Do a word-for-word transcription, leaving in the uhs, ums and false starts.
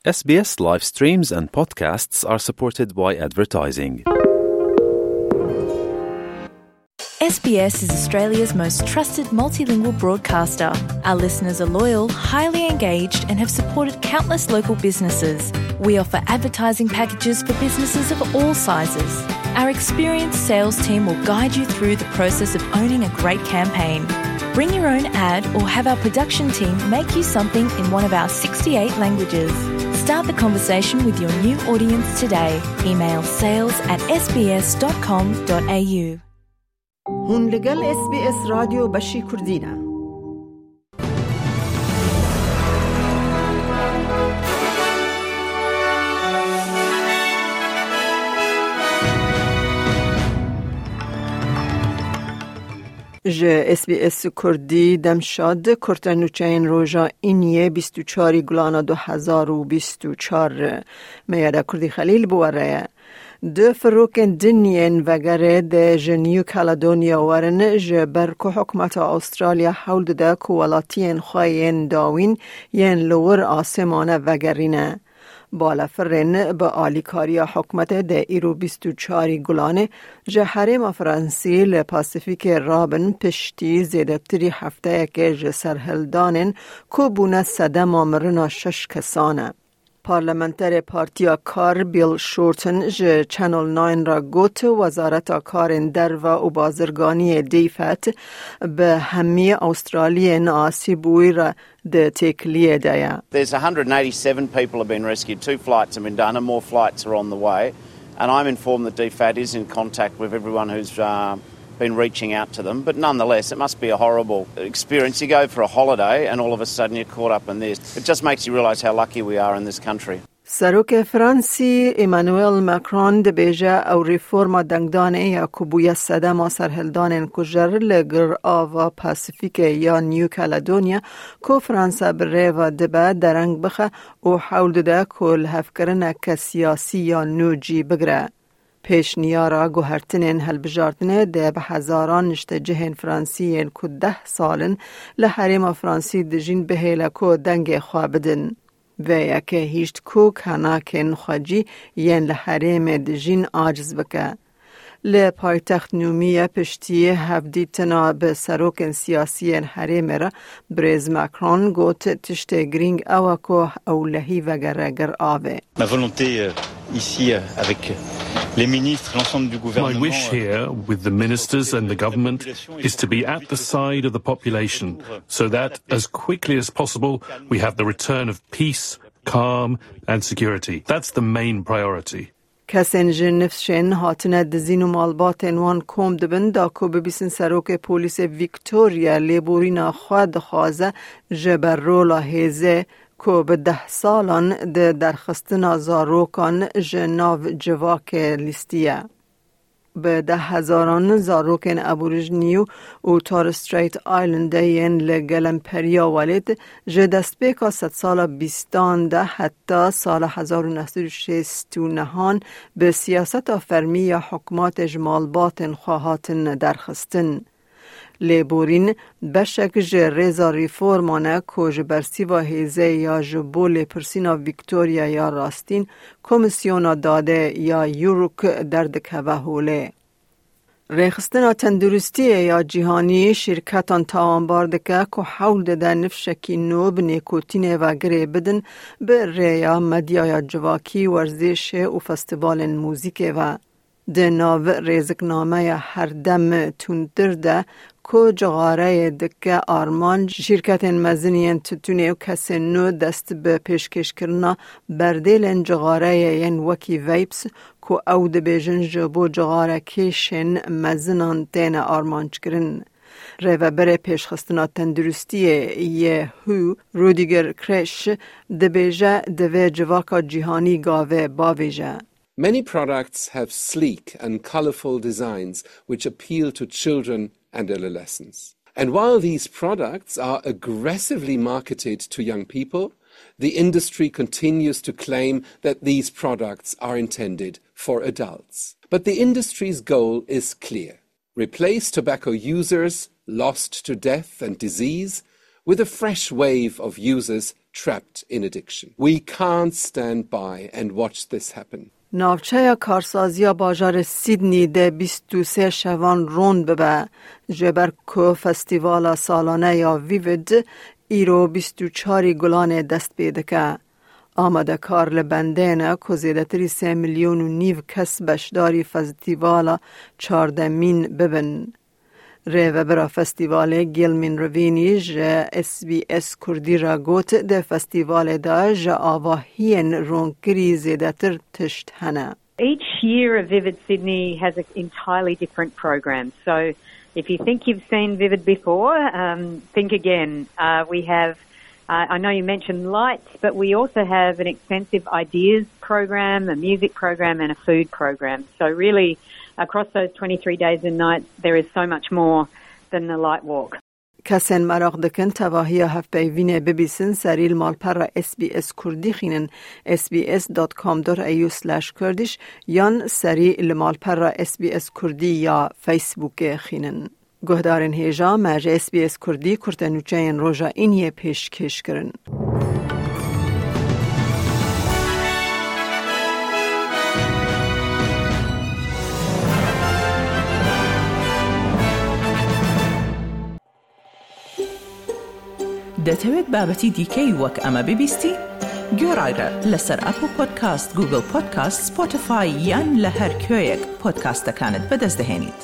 S B S live streams and podcasts are supported by advertising. S B S is Australia's most trusted multilingual broadcaster. Our listeners are loyal, highly engaged, and have supported countless local businesses. We offer advertising packages for businesses of all sizes. Our experienced sales team will guide you through the process of owning a great campaign. Bring your own ad or have our production team make you something in one of our sixty-eight languages. Start the conversation with your new audience today. Email sales at S B S dot com dot A U. Hûn li gel S B S Radyo Beşî Kurdî ne. Ji S B S Kurdî, dem şad, kurte nûçeyên roja îniyê bîst û çarî gulana du hezar û bîst û çar. Meyada Kurdî Xelîl bi we re ye. Du firokên din yên vegerê dê ji New Caledonia werin, ji ber ku hikûmeta Australya hewl dide ku welatiyên xwe yên dawîn yên li wir asê mane vegerîne. Balafirên bi alîkariya hikûmetê dê îro bîst û çarî Gulanê ji herêma Fransî li Pasîfîkê rabin, piştî zêdetirî hefteyekê ji serhildanên ku bûne sedema mirina şeş kesan e. Parlamenterê Partiya Kar Bill Shorten ji Channel Nine re got, Wezareta Karên Derve û Bazirganiyê DFAT bi hemî Australiyên asî bûyî re di têkiliyê de ye. There's a hundred and eighty-seven people have been rescued. Two flights have been done and more flights are on the way. And I'm informed that DFAT is in contact with everyone who's, uh, been reaching out to them. But nonetheless, it must be a horrible experience. You go for a holiday and all of a sudden you're caught up in this. It just makes you realise how lucky we are in this country. Serokê Fransî Emmanuel Macron dibêje ew reforma dengdanê ya ku bûye sedema serhildanên kujer li Girava Pasîfîkê ya New Caledonia ku Fransa bi rê ve dibe dereng bixe û hewl dide ku lihevkirineke siyasî ya nû cî bigire. Pêşniyara guhertinên hilbijartinê dê bi hezaran niştecihên Fransî yên ku deh sal in li herêma Fransî dijîn bihêle ku dengê xwe bidin. Vê yekê hîşt ku kenakên xwecî yên li herêmê dijîn aciz bike. Li paytext Nûmiye piştî hevdîtina bi serokên siyasî yên herêmê re birêz Macron got, tiştê girîng ew e ku ewlehî vegere Giravê. Ma volonté, euh, ici, euh, avec les ministres, l'ensemble du My gouvernement, wish euh, here with the ministers and the government is to be at the side of the population so that as quickly as possible we have the return of peace, calm and security. That's the main priority. Kesên ji nifşên hatine dizîn û malbatên wan kom dibin, da ku bibîsin serokê polîsê Victoria lêborîna xwe dixwaze ji ber rola hêzê ku bi deh salan di derxistina zarokan ji nav civakê lîstiye. Bi deh hezaran zarokên Aborîjinî û Torres Strait Islandê yên li gelemperiya welêt ji destpêka sedsala bîstan de heta sala hezar û neh sed û şêst û nehan bi siyaseta fermî ya hikûmetê ji malbatên xwe hatin derxistin. Lêborîn beşek ji rêza reforman e ku ji bersîva hêzê ya ji bo lêpirsîna Victoria ya rastîn Komîsyona Dadê ya Yuruk derdikeve holê. Rêxistina Tenduristiyê ya Cîhanî şîrketan tawanbar dike ku hewl dide nifşekî nû bi nêkotînê ve girê bidin bi rêya medyaya civakî, werzişê û festîvalên muzîkê ve. Di nav rêziknameya herdem tundtir de ku cixareyê dike armanc, şîrketên mezin yên tutûnê û kesên nû dest bi pêşkêşkirina berdêlên cixareyê yên wekî vapes ku ew dibêjin ji bo cixarekêşên mezinan têne armanckirin. Rêveberê Pêşxistina Tenduristiyê yê who, Rüdiger Kretsch, dibêje divê civaka cîhanî gavê bavêje. Many products have sleek and colorful designs which appeal to children and adolescents. And while these products are aggressively marketed to young people, the industry continues to claim that these products are intended for adults. But the industry's goal is clear: replace tobacco users lost to death and disease with a fresh wave of users trapped in addiction. We can't stand by and watch this happen. Navçeya karsaziya bajarê Sydney de bîst û sê şevan rond bibe, ji ber ku festîvala salane ya Vivid îro bîst û çarî Gulanê dest pê dike. Amadekar li bendê ne ku zêdetirî sê milyon û nîv kes beşdarî festîvala çardemîn bibin. Rêvebira festîvalê Gilmin Rivînî ji S B S Kurdî re got, di festîvalê de ji avahiyên ronkirî zêdetir tişt hene. Each year of Vivid Sydney has an entirely different program. So if you think you've seen Vivid before, um, think again. Uh, we have, uh, I know you mentioned lights, but we also have an extensive ideas program, a music program, and a food program. So really, across those twenty-three days and nights, there is so much more than the light walk. Kesên meraq dikin tevahiya hevpeyvînê bibîsin, serî li malpera S B S Kurdî xînin, S B S dot com dot A U slash Kurdish, yan serî li malpera S B S Kurdî ya Facebookê xînin. Guhdarên hêja, me ji S B S Kurdî kurtenûçeyên roja îniyê pêşkêş kirin. دەتەوێت بابەتی دیکەی وەک ئەمە ببیستی؟ گوێڕایرە لەسەر ئەپڵ پۆدکاست، گوگڵ پۆدکاست، سپۆتیفای یان لە هەر کوێیەک پۆدکاستەکانت بەدەست دەهێنیت.